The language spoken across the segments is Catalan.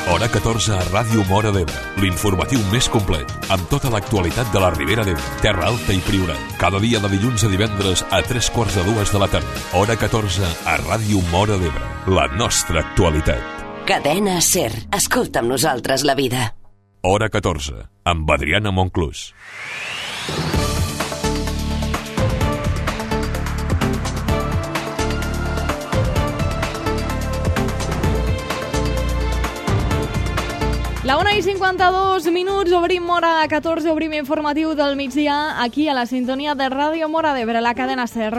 Hora 14 a Ràdio Móra d'Ebre, l'informatiu més complet, amb tota l'actualitat de la Ribera d'Ebre, Terra Alta i Priorat. Cada dia de dilluns a divendres a 3:45 de la tarda. Hora 14 a Ràdio Móra d'Ebre, la nostra actualitat. Cadena SER. Escolta amb nosaltres la vida. Hora 14, amb Adriana Monclús. La 1:52, obrim Hora 14, obrim informatiu del migdia, aquí a la sintonia de Ràdio Móra d'Ebre, la cadena SER.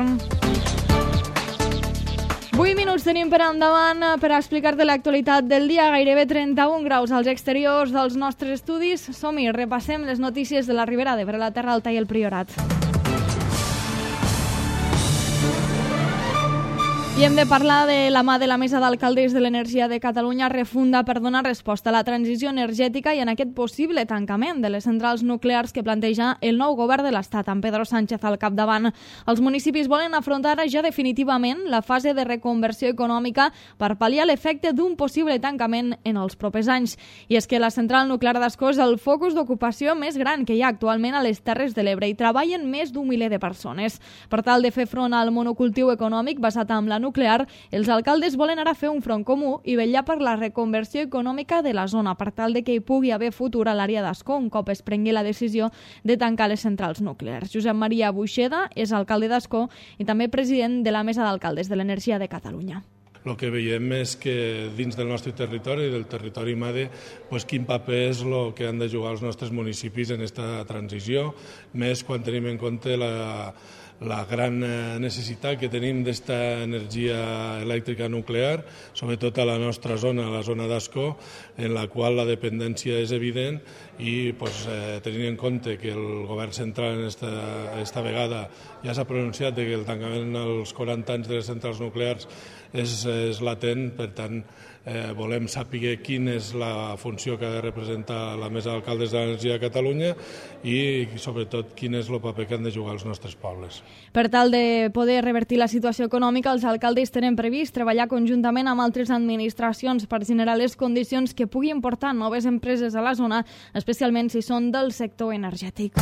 8 minuts tenim per endavant per explicar-te l'actualitat del dia. Gairebé 31 graus als exteriors dels nostres estudis. Som-hi, repassem les notícies de la Ribera d'Ebre, la Terra Alta i el Priorat. I hem de parlar de la mà de la Mesa d'Alcaldes de l'Energia de Catalunya refunda per donar resposta a la transició energètica i en aquest possible tancament de les centrals nuclears que planteja el nou govern de l'Estat, amb Pedro Sánchez al capdavant. Els municipis volen afrontar ja definitivament la fase de reconversió econòmica per pal·liar l'efecte d'un possible tancament en els propers anys. I és que la central nuclear d'Ascó és el focus d'ocupació més gran que hi ha actualment a les Terres de l'Ebre i treballen més d'un miler de persones. Per tal de fer front al monocultiu econòmic basat en la nuclear, els alcaldes volen ara fer un front comú i vetllar per la reconversió econòmica de la zona per tal de que hi pugui haver futur a l'àrea d'Ascó un cop es prengui la decisió de tancar les centrals nuclears. Josep Maria Buixeda és alcalde d'Ascó i també president de la Mesa d'Alcaldes de l'Energia de Catalunya. El que veiem és que dins del nostre territori, del territori MADE, quin paper és el que han de jugar els nostres municipis en aquesta transició, més quan tenim en compte la gran necessitat que tenim d'esta energia elèctrica nuclear, sobretot a la nostra zona, a la zona d'Ascó, en la qual la dependència és evident i tenint en compte que el govern central esta vegada ja s'ha pronunciat que el tancament als 40 anys de les centrals nuclears és latent, per tant volem saber quina és la funció que ha de representar la Mesa d'Alcaldes de l'Energia de Catalunya i sobretot quin és el paper que han de jugar els nostres pobles. Per tal de poder revertir la situació econòmica, els alcaldes tenen previst treballar conjuntament amb altres administracions per generar les condicions que puguin portar noves empreses a la zona, especialment si són del sector energètic.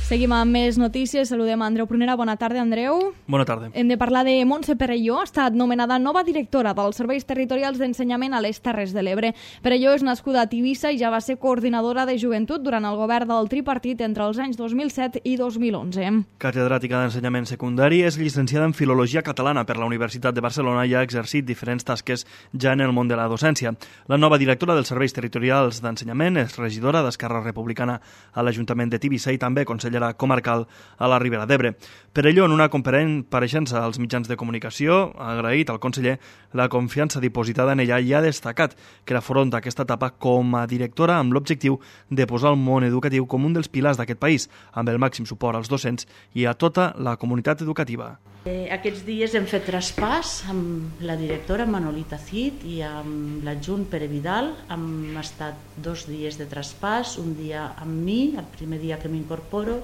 Seguim amb més notícies. Saludem a Andreu Prunera. Bona tarda, Andreu. Bona tarda. Hem de parlar de Montse Perelló. Ha estat nomenada nova directora dels Serveis Territorials d'Ensenyament a les Terres de l'Ebre. Perelló és nascuda a Tivissa i ja va ser coordinadora de joventut durant el govern del tripartit entre els anys 2007 i 2011. Catedràtica d'Ensenyament Secundari, és llicenciada en Filologia Catalana per la Universitat de Barcelona i ha exercit diferents tasques ja en el món de la docència. La nova directora dels Serveis Territorials d'Ensenyament és regidora d'Esquerra Republicana a l'Ajuntament de Tivissa i també consellera comarcal a la Ribera d'Ebre. Perelló, en una compareixença als mitjans de comunicació, ha agraït al conseller la confiança dipositada en ella i ha destacat que afronta aquesta etapa com a directora amb l'objectiu de posar el món educatiu com un dels pilars d'aquest país, amb el màxim suport als docents i a tota la comunitat educativa. Aquests dies hem fet traspàs amb la directora Manolita Cid i amb l'adjunt Pere Vidal. Hem estat 2 dies de traspàs, un dia amb mi, el primer dia que m'incorporo,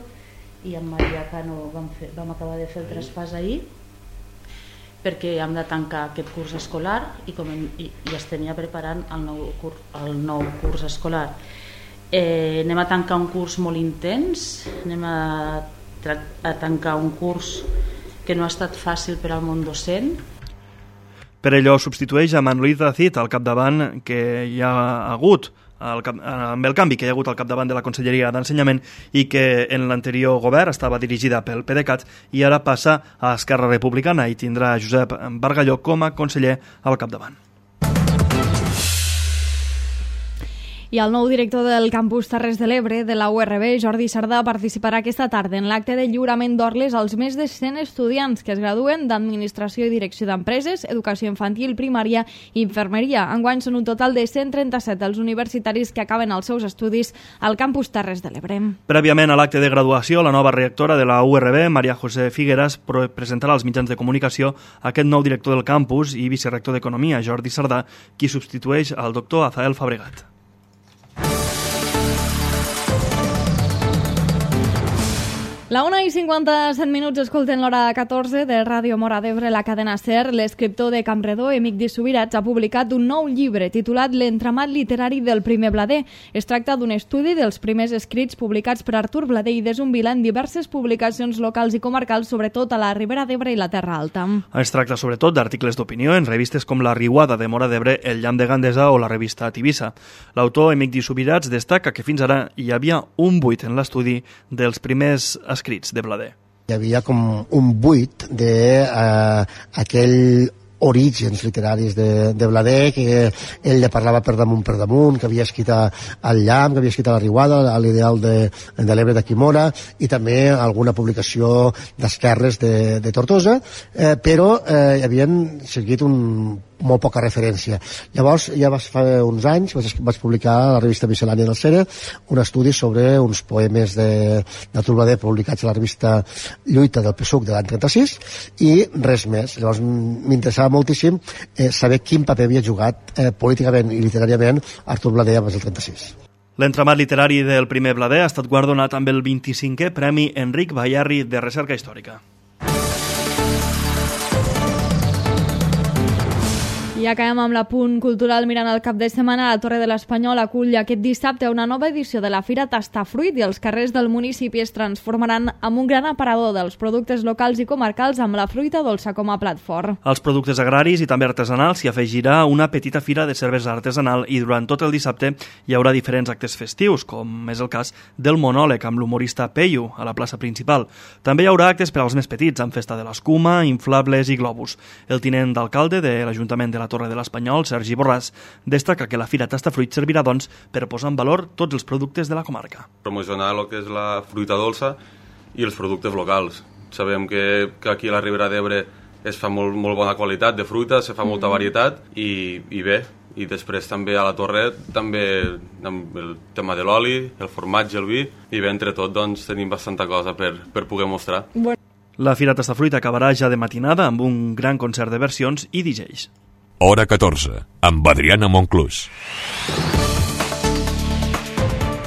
i amb Maria Cano vam acabar de fer el traspàs ahir perquè hem de tancar aquest curs escolar i estem ja preparant el nou curs escolar. Anem a tancar un curs molt intens, anem a tancar un curs que no ha estat fàcil per al món docent. Perelló substitueix a Manolita Cid al capdavant que hi ha hagut amb el canvi que hi ha hagut al capdavant de la Conselleria d'Ensenyament i que en l'anterior govern estava dirigida pel PDeCAT i ara passa a Esquerra Republicana i tindrà Josep Bargalló com a conseller al capdavant. I el nou director del campus Terres de l'Ebre de la URB, Jordi Sardà, participarà aquesta tarda en l'acte de lliurament d'orles als més de 100 estudiants que es graduen d'Administració i Direcció d'Empreses, Educació Infantil, Primària i Infermeria. Enguany són un total de 137 els universitaris que acaben els seus estudis al campus Terres de l'Ebre. Prèviament a l'acte de graduació, la nova rectora de la URB, Maria José Figueras, presentarà als mitjans de comunicació aquest nou director del campus i vicerector d'Economia, Jordi Sardà, qui substitueix al doctor Azael Fabregat. La 1:57, escolten l'hora 14 de Ràdio Móra d'Ebre, la cadena SER. L'escriptor de Campredó, Emic de Subirats, ha publicat un nou llibre titulat L'entramat literari del primer Blader. Es tracta d'un estudi dels primers escrits publicats per Artur Blader i de Zumbila en diverses publicacions locals i comarcals, sobretot a la Ribera d'Ebre i la Terra Alta. Es tracta sobretot d'articles d'opinió en revistes com La Riuada de Móra d'Ebre, El Llamp de Gandesa o la revista Tivissa. L'autor Emic de Subirats destaca que fins ara hi havia un buit en l'estudi dels primers escrits de Blader. Hi havia com un buit d'aquell orígens literaris de Blader, que ell le parlava per damunt, que havia escrit al Llamp, que havia escrit a La Riuada, a l'Ideal de l'Ebre d'aquí Móra, i també alguna publicació d'esquerres de Tortosa, però hi havien seguit molt poca referència. Llavors, ja fa uns anys, vaig publicar a la revista Miscel·lània del Sera un estudi sobre uns poemes d'Artur Blader publicats a la revista Lluita del PSUC de l'any 36, i res més. Llavors, m'interessava moltíssim saber quin paper havia jugat políticament i literàriament Artur Blader abans del 36. L'entramat literari del primer Blader ha estat guardonat amb el 25è Premi Enric Bayarri de Recerca Històrica. I acabem amb l'apunt cultural mirant el cap de setmana. La Torre de l'Espanyol acull aquest dissabte una nova edició de la Fira Tastafruit i els carrers del municipi es transformaran en un gran aparador dels productes locals i comarcals amb la fruita dolça com a plat fort. Als productes agraris i també artesanals s'hi afegirà una petita fira de cervesa artesanal i durant tot el dissabte hi haurà diferents actes festius, com és el cas del monòleg amb l'humorista Peyu a la plaça principal. També hi haurà actes per als més petits, amb festa de l'escuma, inflables i globus. El tinent d'alcalde de l'Ajuntament de la Torre de l'Espanyol, Sergi Borràs, destaca que la Fira Tastafruit servirà, doncs, per posar en valor tots els productes de la comarca. Promocionar el que és la fruita dolça i els productes locals. Sabem que aquí a la Ribera d'Ebre es fa molt bona qualitat de fruita, se fa molta varietat i bé. I després també a la Torre, també amb el tema de l'oli, el formatge, el vi, i bé, entre tot doncs, tenim bastanta cosa per poder mostrar. La Fira Tastafruit acabarà ja de matinada amb un gran concert de versions i DJs. Hora 14, amb Adriana Monclús.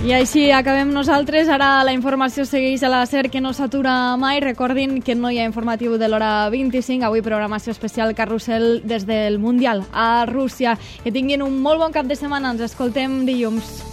I així acabem nosaltres. Ara la informació segueix a la SER, que no s'atura mai. Recordin que no hi ha informatiu de l'hora 25. Avui programació especial Carrusel des del Mundial a Rússia. Que tinguin un molt bon cap de setmana. Ens escoltem dilluns.